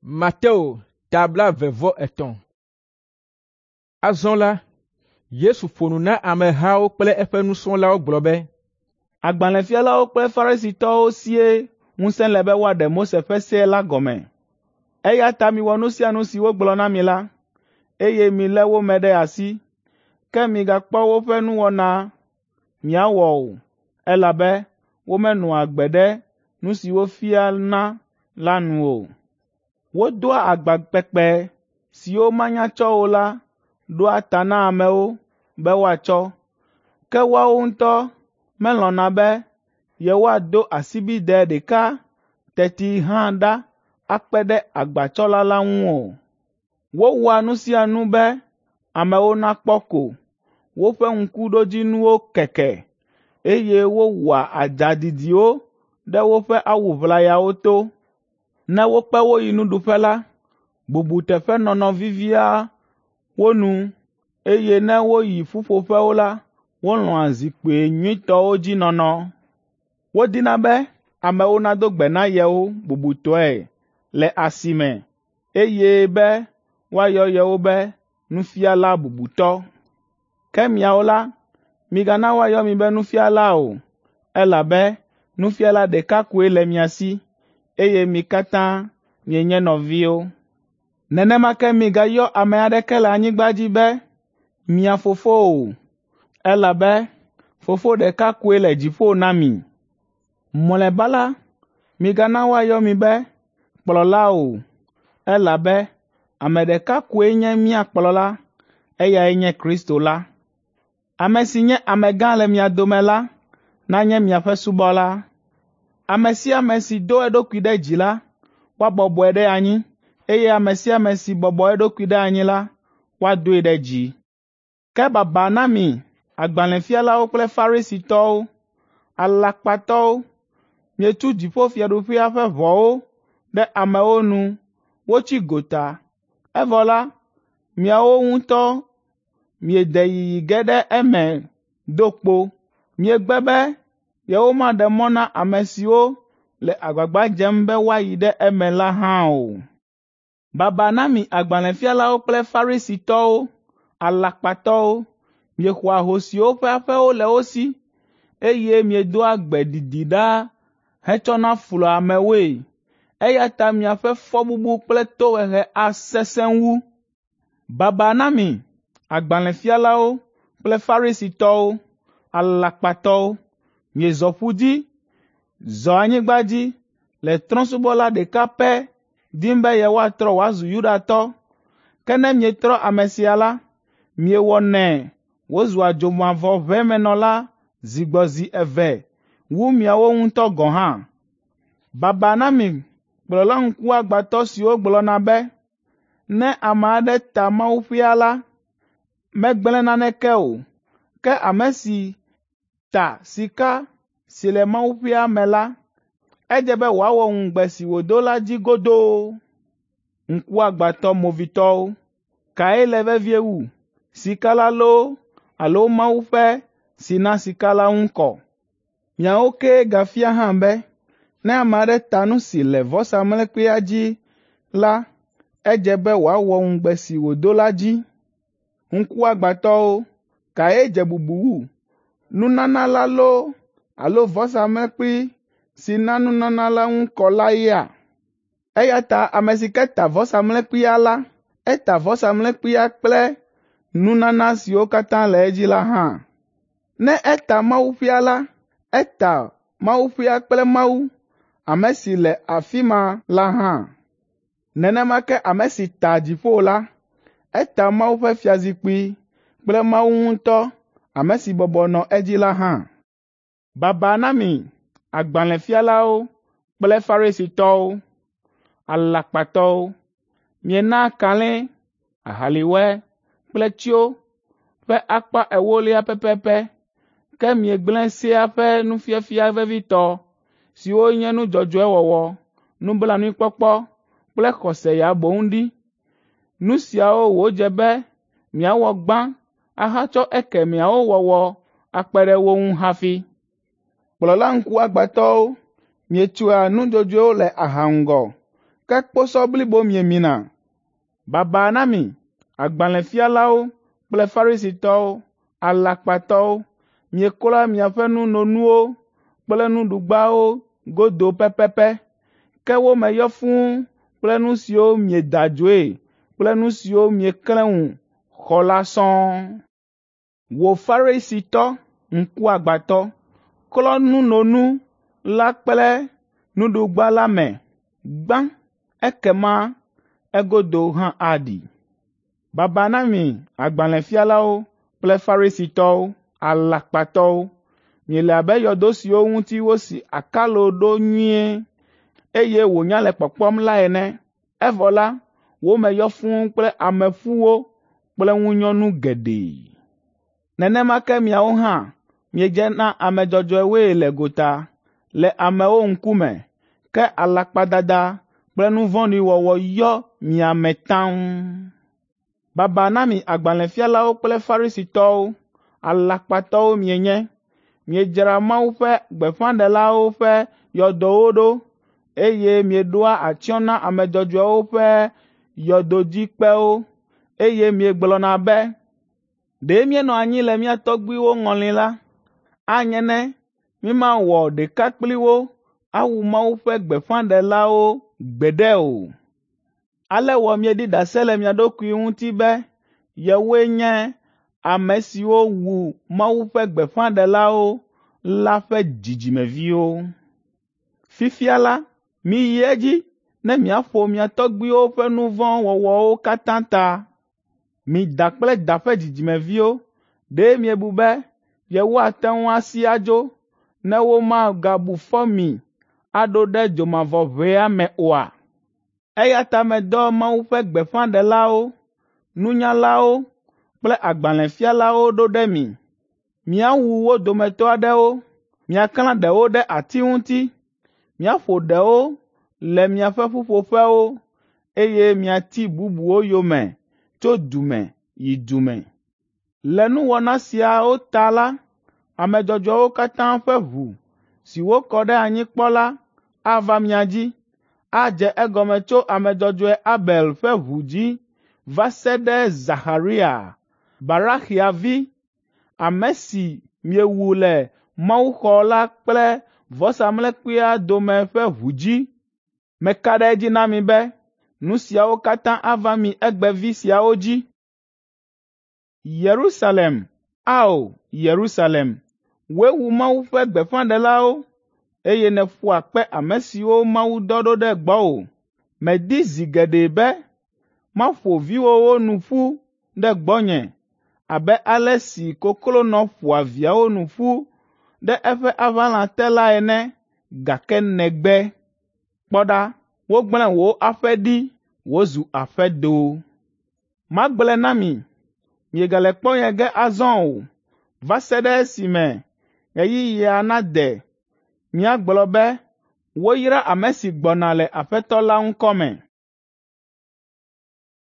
Mateo ta 23. Azɔ la, Yesu ƒo nu na amehawo kple eƒe nusrɔ̃lawo gblɔ be, Agbalẽfialawo kple Farisitɔwo sie ŋusẽ le be woaɖe Mose ƒe se la gɔme. Eya ta miwɔ nu sia nu si wogblɔ na mi la, eye milé wo me ɖe asi. Ke migakpɔ woƒe nuwɔna miawɔ o, elabe womenɔa agbe ɖe nu si wofiana la nu o. Wodoa agba kpekpe siwo manya tsɔ o la ɖoa ta na amewo be woatsɔ, ke woawo ŋutɔ melɔ̃na be yewoado asibidɛ ɖeka teti hã ɖa akpe ɖe agbatsɔla la ŋu o. Wowɔa nu sia nu be amewo nakpɔ ko. Woƒe ŋkuɖodzinuwo keke, eye wowɔa adza didiwo ɖe woƒe awu ʋlayawo to. Ne wokpe wo yi nuɖuƒe la, bubuteƒenɔnɔ vivia wo nu, eye ne woyi ƒuƒoƒewo la, wolɔ̃a zikpui nyuitɔwo dzi nɔnɔ. Wodina be amewo nado gbe na yewo bubutɔe le asi me, eye be woayɔ yewo be ‘Nufiala bubutɔ.’ Ke miawo la, migana woayɔ mi be ‘Nufiala’ o, elabe Nufiala ɖeka koe le mia si, eye mi katã mienye nɔviwo. Nenema ke migayɔ ame aɖeke le anyigba dzi be mia fofo o, elabe Fofo ɖeka koe le dziƒo na mi. Mlɔeba la, migana woayɔ mi be kplɔla o, elabe ame ɖeka koe nye mía kplɔla, eyae nye Kristo la. Ame si nye amegã le mia dome la nanye miaƒe subɔla. Ame sia ame si do eɖokui ɖe dzi la, woabɔbɔe ɖe anyi, eye ame sia ame si bɔbɔ eɖokui ɖe anyi la, woadoe ɖe dzi. Ke baba na mi agbalẽfialawo kple Farisitɔwo, alakpatɔwo! Mietu dziƒofiaɖuƒea ƒe ʋɔwo ɖe amewo nu wotsi gota, evɔ la, miawo ŋutɔ miede yiyi ge ɖe eme do kpo. Miegbe be yewomaɖe mɔ na ame siwo le agbagba dzem be woayi ɖe eme la hã o. Baba na mi agbalẽfialawo kple Farisitɔwo, alakpatɔwo! Miexɔa ahosiwo ƒe aƒewo le wo si, eye miedoa gbe didi ɖaa hetsɔna flua amewoe, eya ta miaƒe fɔbubu kple tohehe asesẽ wu. Baba na mi agbalẽfialawo kple Farisitɔwo, alakpatɔwo! Miezɔ ƒu dzi, zɔ anyigba dzi le trɔ̃subɔla ɖeka pɛ dim be yewoatrɔ wòazu Yudatɔ. Ke ne mietrɔ ame sia la, miewɔnɛ wòzua dzomavɔʋemenɔla zi gbɔ zi eve wu miawo ŋutɔ gɔ̃ hã. Baba na mi kplɔla ŋkuagbãtɔ siwo gblɔna be, ‘Ne ame aɖe ta mawuƒea la, megblẽ naneke o, ke ame si ta sika si le mawuƒea me la, edze be wòawɔ ŋugbe si wòdo la dzi godoo.’ Ŋkuagbãtɔ movitɔwo! Kae le vevie wu, sika la loo alo mawuƒe si na sika la ŋu kɔ? Miawo kee gafia hã be, ne ame aɖe ta nu si le vɔsamlekpuia dzi la, edze be wòawɔ ŋugbe si wòdo la dzi. Ŋkuagbãtɔwo! Kae dze bubu wu, nunana la loo alo vɔsamlekpui si na nunana la ŋu kɔ la yea? Eya ta ame si ke ta vɔsamlekpuia la, eta vɔsamlekpuia kple nunana siwo katã le edzi la hã. Ne eta mawuƒea la, eta mawuƒea kple Mawu, ame si le afi ma la hã. Nenema ke ame si ta dziƒo la, eta Mawu ƒe fiazikpui kple Mawu ŋutɔ, ame si bɔbɔ nɔ edzi la hã. Baba na mi agbalẽfialawo kple Farisitɔwo, alakpatɔwo! Mienaa kalẽ, ahaliwɔe kple tsyo ƒe akpa ewolia pɛpɛpɛ, ke miegblẽ sea ƒe nufiafia vevitɔ siwo nye nu dzɔdzɔe wɔwɔ, nublanuikpɔkpɔ kple xɔse ya boŋ ɖi. Nu siawo wòdze be miawɔ gbã ahatsɔ ekemɛawo wɔwɔ akpe ɖe wo ŋu hafi. Kplɔla ŋkuagbãtɔwo, mietsoa nudzodzoewo le aha ŋgɔ, Ke kposɔ blibo miemina. Baba na mi, agbalẽfialawo kple Farisitɔwo, alakpatɔwo! Mieklɔa miaƒe nunonuwo kple nuɖugbawo godo pɛpɛpɛ, ke wo me yɔ fũu kple nu siwo mieda adzoe kple nu siwo mieklẽ ŋu xɔ la sɔŋ. Wò Farisitɔ ŋkuagbãtɔ, klɔ nunonu la kple nuɖugba la me gbã ekema egodo hã aɖi. Baba na mi agbalẽfialawo kple Farisitɔwo, alakpatɔwo! Miele abe yɔdo siwo ŋuti wosi akalo ɖo nyuie, eye wònya le kpɔkpɔm la ene, evɔ la, wo me yɔ fũu kple ameƒuwo kple ŋunyɔnu geɖe. Nenema ke miawo hã miedze na ame dzɔdzɔewoe le gota le amewo ŋkume, ke alakpadada kple nu vɔ̃ɖi wɔwɔ yɔ mia me taŋ. Baba na mi agbalẽfialawo kple Farisitɔwo, alakpatɔwo mienye! Miedzra Mawu ƒe gbeƒãɖelawo ƒe yɔdowo ɖo, eye mieɖoa atsyɔ̃ na ame dzɔdzɔewo ƒe yɔdodzikpewo, eye miegblɔna be, ‘Ɖe míenɔ anyi le mía tɔgbuiwo ŋɔli la, anye ne mímawɔ ɖeka kpli wo awu Mawu ƒe gbeƒãɖelawo gbeɖe o.’ Ale wɔ mieɖi ɖase le mia ɖokui ŋuti be yewoe nye ame siwo wu Mawu ƒe gbeƒãɖelawo la ƒe dzidzimeviwo. Fifia la, miyi edzi ne miaƒo mia tɔgbuiwo ƒe nu vɔ̃ wɔwɔwo katã ta. Mi da kple da ƒe dzidzimeviwo, ɖe miebu be yewoate ŋu asi adzo ne womagabu fɔ mi aɖo ɖe dzomavɔʋea me oa? Eya ta medɔ Mawu ƒe gbeƒãɖelawo, nunyalawo kple agbalẽfialawo ɖo ɖe mi. Miawu wo dometɔ aɖewo, miaklã ɖewo ɖe ati ŋuti, miaƒo ɖewo le miaƒe ƒuƒoƒewo, eye miati bubuwo yome tso du me yi du me. Le nuwɔna siawo ta la, ame dzɔdzɔewo katã ƒe ʋu si wokɔ ɖe anyi kpɔ la ava mia dzi, adze egɔme tso ame dzɔdzɔe Abel ƒe ʋu dzi va se ɖe Zaxaria, Baraxia vi, ame si miewu le mawuxɔ la kple vɔsamlekpuia dome ƒe ʋu dzi. Meka ɖe edzi na mi be nu siawo katã ava mi egbevi siawo dzi. Yerusalem, ao Yerusalem, wòe wu Mawu ƒe gbeƒãɖelawo, eye nèƒoa kpe ame siwo Mawu dɔ ɖo ɖe gbɔwò. Medi zi geɖe be maƒo viwòwo nu ƒu ɖe gbɔnye abe ale si koklonɔ ƒoa viawo nu ƒu ɖe eƒe aʋalã te la ene, gake nègbe. Kpɔ ɖa, wogblẽ wò aƒe ɖi wòzu aƒedo. Magblɔe na mi, miegale kpɔ nye ge azɔ o, va se ɖe esime ɣeyiɣia nade miagblɔ be, ‘Woyra ame si gbɔna le Aƒetɔ la ŋkɔ me.’ ”